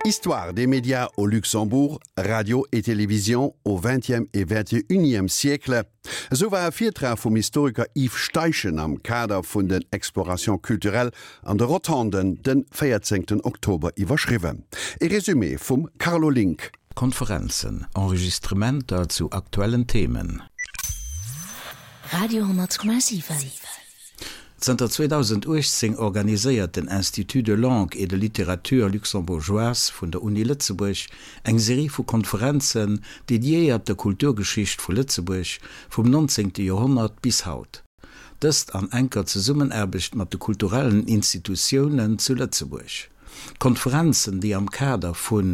Histoire des médias au Luxembourg, Radio et télévision au XXe et XXIe siècle, esou war e Virtrag vum Historiker Yves Steichen am Kader vun den Explorations culturelles an de Rotonden den 14 Oktober iwwerschriwwen. E Resumé vum Carlo Link. Konferenzen, Enregistrementer zu aktuellen Themen. Radio 10,7. Zënter 2018 organiséiert den Institut de langue et de littérature luxembourgeoise vun der Uni Lëtzebuerg eng Serie vu Konferenzen dediéiert der Kulturgeschicht vu Lëtzebuerg vum 19. Joerhonnert bis haut. Dëst an enker Zesummenaarbecht mat de kulturellen Institutiounen zu Lëtzebuerg. D'Konferenzen, déi am Kader vun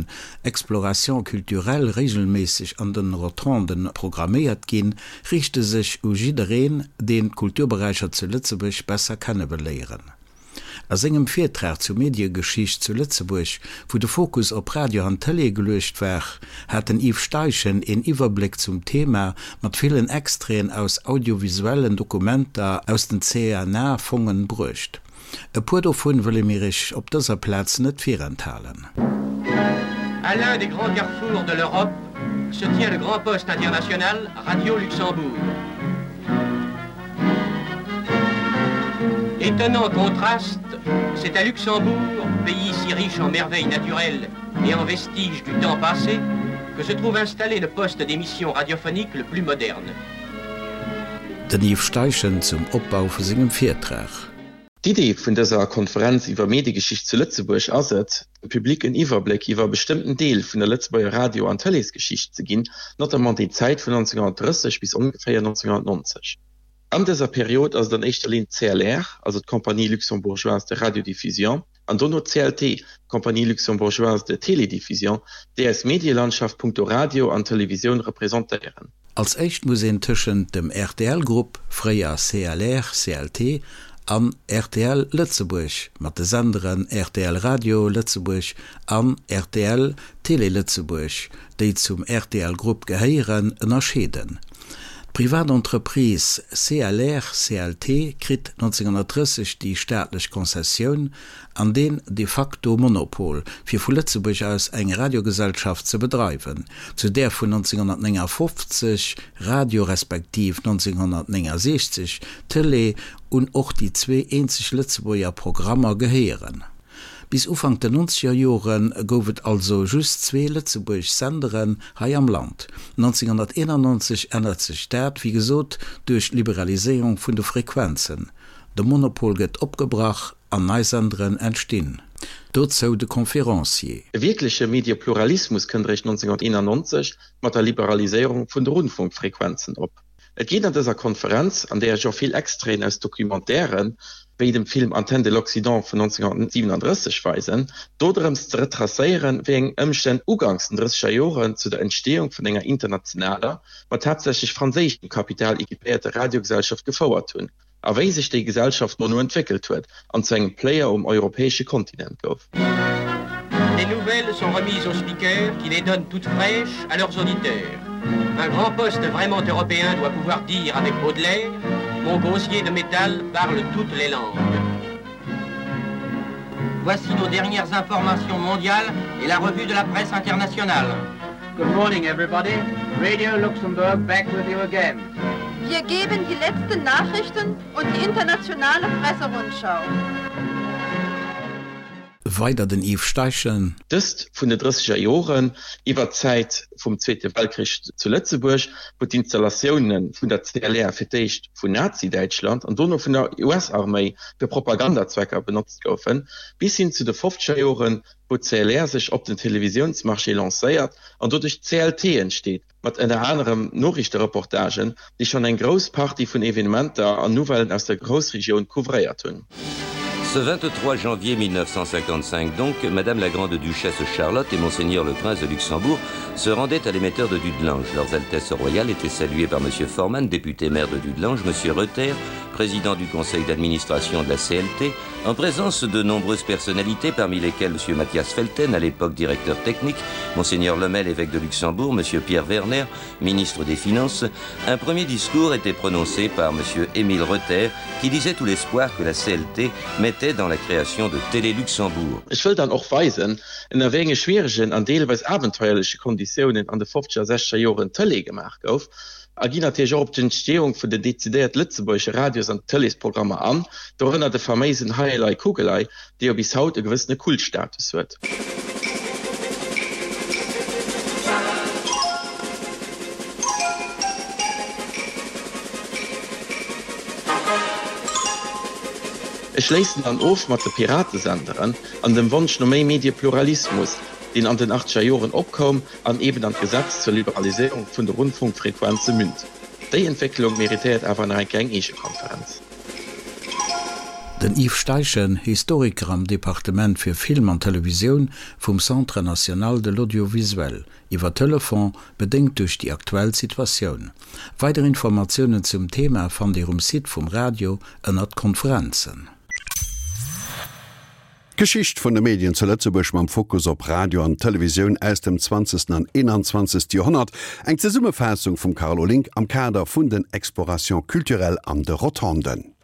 Explorations culturelles regelméisseg an den Rotonden programméiert ginn, riichte sech u jiddereen, deen d'Kulturberäicher zu Lëtzebuerg besser kenne wëll léieren. A sengem Virtrag zur Mediegeschicht zu Lëtzebuerg, wou de Fokus op Radio an Tëlee geluecht war, hat den Yves Steichen een Iwwerbléck zum Thema mat villen Extraiten aus audiovisuellen Dokumenter aus den CNA-Fongen bruecht. E puer dovun wëlle mir Iech op dëser Plaz net virenthalen. À l'un des grands carrefours de l'Europe se tient le grand poste international Radio Luxembourg. Étonnant contraste, c'est à Luxembourg, pays si riche en merveilles naturelles et en vestiges du temps passé, que se trouve installé le poste d'émission radiophonique le plus moderne. Den Yves Steichen zum Opbau vu sengem Virtrag. D'Idee vun dëser Konferenz iwwer Mediegeschicht zu Lëtzebuerg ass et, dem Public en Iwwerbléck iwwer e bestëmmten Deel vun der Lëtzebuerger Radio an Tëleesgeschicht ze ginn, notamment déi Zäit vun 1930 bis ongeféier 1990. An dëser Period ass et an éischter Linn d'CLR, also d'Compagnie luxembourgeoise de radiodiffusion, an dono d'CLT, d'Compagnie luxembourgeoise de télédiffusion, déi eis Medielandschaft punkto Radio an Televisioun representéieren. Als éischt muss een tëschent dem RTL-Grupp, fréier CLR, CLT, an rtl Lëtzebuerg, mat de Senderen rtl Radio Lëtzebuerg an rtl Télé Lëtzebuerg, déi zum RTL-Grupp gehéieren, ënnerscheeden. D'Privatentreprise CLR, CLT kritt 1930 déi staatlech Konzessioun an deen de facto Monopol, fir vu Lëtzebuerg aus eng Radiogesellschaft ze bedreiwen, zu där vun 1959, Radio, respektiv 1969, Tëlee, un och déi zwee eenzeg Lëtzebuerger Programmer gehéieren. Bis Ufank den nonzeger Jore gouf et also just zwee lëtzebuergesch Senderen hei am Land. 1991 ännert sech dat, wéi gesot, duerch d'Liberaliséierung vun de Frequenzen. De Monopol gëtt opgebrach an nei Senderen entstinn. Dozou de Conférencier. E wierkleche Mediepluralismus kënnt eréischt 1991 mat der Liberaliséierung vun de Rundfunkfrequenzen op. Et geet an dëser Konferenz, an där ech och vill Extraiten aus Documentairen, wéi dem Film Antenne de l'Occident vun 1937 weisen, dodrëms ze retracéieren, wéi eng Ëmstänn uganks den drësseger Joren zu der Entsteeung vun enger internationaler, mat haaptsächlech franséischem Kapital equipéierter Radiogesellschaft gefouert hunn a wéi sech déi Gesellschaft dono entwéckelt huet an zu engem Player um europäesche Kontinent gouf. Les nouvelles sont remises aux speakers qui les donnent toutes fraîches à leurs auditeurs. Un grand poste vraiment européen doit pouvoir dire avec Baudelaire, mon gosier de métal parle toutes les langues. Voici nos dernières informations mondiales et la revue de la presse internationale. Good morning everybody. Radio Luxembourg back with you again. Wir geben die letzten Nachrichten und die internationale Presserundschau. Weider den Yves Steichen. Dëst vun de drësseger Joren iwwer d'Zäit vum Zweete Weltkrich zu Lëtzebuerg, wou d'Installatioune vun der CLR fir d'éischt vun Nazi-Däitschland an dono vun der US-Arméi fir Propagandazwecker benotzt goufen, bis hin zu de fofzeger Joren, wou d'CLR sech op den Televisiounsmarché lancéiert an doduerch d'CLT entsteet, mat ënner anerem Noriichtereportagen, déi schonn eng grouss Partie vun Evenementer an Nouvellen aus der Groussregioun couvréiert hunn. Ce 23 janvier 1955 donc, Madame la Grande-Duchesse Charlotte et Monseigneur le Prince de Luxembourg se rendaient à l'émetteur de Dudelange. Leurs Altesses royales étaient saluées par Monsieur Forman, député maire de Dudelange, Monsieur Reuter, président du conseil d'administration de la CLT, en présence de nombreuses personnalités parmi lesquelles M. Mathias Felten, à l'époque directeur technique, Monseigneur Lemel, évêque de Luxembourg, M. Pierre Werner, ministre des Finances, un premier discours était prononcé par M. Émile Reuter qui disait tout l'espoir que la CLT mettrait. était dans la création de Télé Luxembourg. Ech wëll dann och weisen, ënner wéi enge schwieregen an deelweis abenteuerleche Konditiounen an de fofzeger a sechzeger Joren Tëlee gemaach gouf, a ginn natierlech och op d'Entstehung vun den dezidiert lëtzebuergesche Radios an Tëleesprogrammer an, dorënner de faméisen Hei elei Kugelei, dee jo bis haut e gewëssene Kultstatus huet. Ech schléissen dann of mat de Piratesenderen an dem Wonsch no méi Mediepluralismus, deen an den achtzeger Joren opkoum an eben an d'Gesetz zur Liberaliséierung vun de Rundfunkfrequenze münd. Déi Entwécklung méritéiert awer nach eng kleng eege Konferenz. Den Yves Steichen, Historiker am Departement fir Film an Televisioun vum Centre national de l'audiovisuel, iwwer Telefon, bedéngt duerch déi aktuell Situatioun. Weider Informatiounen zum Thema fannt Dir um Site vum Radio ënnert Konferenzen. D'Geschicht vun de Medien zu Lëtzebuerg mam Fokus op Radio an Televisioun aus dem zwanzegsten an 21. Joerhonnert. Eng Zesummefaassung vum Carlo Link am Kader vun den Explorations culturelles an de Rotonden.